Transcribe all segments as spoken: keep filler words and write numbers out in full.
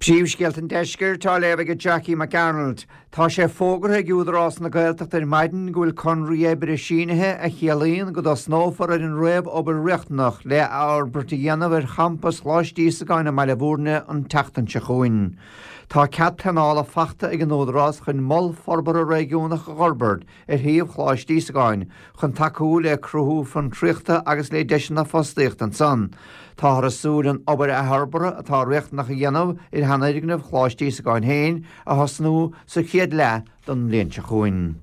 Príomhscéalta an Deiscirt á léamh ag Jackie McArnold. Tá sé fógartha ag Údarás na Gaeltachta ar maidin go bhfuil conraí oibre sínithe a chiallaíonn go dtosnófar ar an réamhobair riachtanach le athfhorbairt a dhéanamh ar champas Choláiste Íosagáin i mBaile Bhúirne an tseachtain seo chugainn. Tá cead pleanála faighte ag an Údarás chun mol forbartha réigiúnach a fhorbairt ar shuíomh Choláiste Íosagáin chun tacú le cruthú fiontraíochta agus le deiseanna fostaíochta ansan. Táthar ag súil an obair athfhorbartha atá riachtanach a dhéanamh ar sheanfhoirgneamh Choláiste Íosagáin féin a thosnú sa chéad leath den bhliain seo chugainn.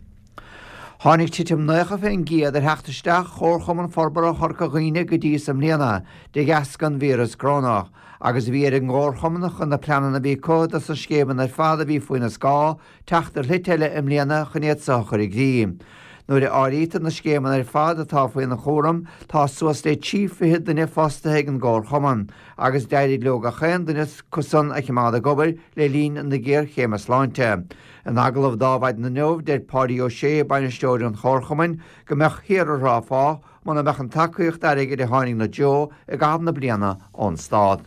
Tháinig titim naocha faoin gcéad ar theacht isteach Chomharchumann Forbartha Chorca Dhuibhne go dtí i mbliana de dheasca an víreas corónach, agus bhí ar an gcomharchumann chun na pleananna a bhí acu dos na scéimeanna ar fad a bhí faoina scáth teacht ar shlite eile i mbliana chun iad seo a chur i gcrích. Nuair a áirítear na scéimeanna ar fad atá faoina chúram tá suas le trí fiche duine fostaithe ag an gcomharchumann, agus d'éirigh leo gach aon duine acu san a choimeád ag obair le linn na géarchéime sláinte. In agallamh d'Adhmhaidin inniu deir Páidí Ó Sé bainisteoir an chomharchumainn go mbeadh thiar ar fá muna mbeadh an tacaíocht airgid a tháinig ina dtreo i gcaitheamh na bliana ón stát.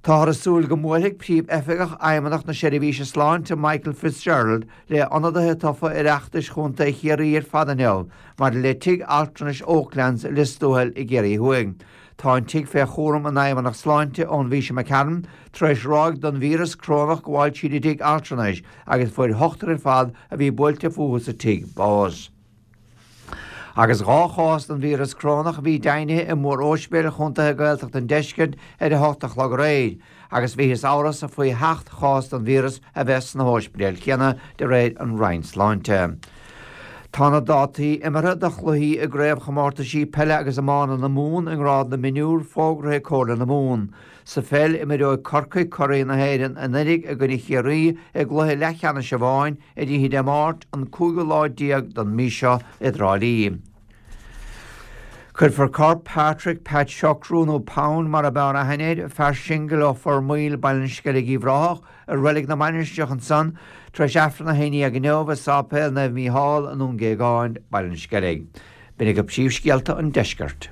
Táthar ag súil go mbuailfidh Príomh-Oifigeach Fheidhmeannacht na Seirbhíse Sláinte Michael Fitzgerald le hionadaithe tofa Oireachtais Chontae Chiarraí ar fad inniu maidir le tigh altranais Oaklands i Lios Tuathail i gCiarraí Thuaidh. Tá an tigh fé chúram an Fheidhmeannacht Sláinte ón mhí seo imigh tharainn tar éis ráig den víreas corónach gabháil tríd an dtigh altranais agus fuair ochtar ar fad a bhí buailte fúthu sa tigh bás. Agus dhá chás den víreas corónach a bhí deimhnithe i mór-ospidéil chontaetha Gaeltacht an Deiscirt ar a hocht a chlog aréir, agus bhíothas amhrasach faoi sheacht chás den víreas a bheith sna hóispidéil chéanna de réir an Roinn Sláinte. Tá na dátaí imeartha do chluichí i gcraobhchomórtaisí peile agus iomána na Mumhan i ngrád na mionúr fógartha ag Comhairle na Mumhan. Sa pheil imreoidh Corcaigh curaidh na hÉireann anuraidh i gcoinne Chiarraí i gcluiche leathcheannais amháin ar oíche Dé Máirt an cúigiú lá déag den mhí seo i dTrá Lí. Cuirfear corp Patrick Pat Siochrú nó Pound mar ab fhearr aithne air, fear singil ó Phormaoil Baile an Sceilg Uíbh Ráthach i Reilig na Mainistreach ansan tar éis Aifreann a haon déag inniu i Sáipéal Naomh Mícheál i nDún Géagáin, Baile an Sceilg. B'in agaibh príomhscéalta an deiscirt.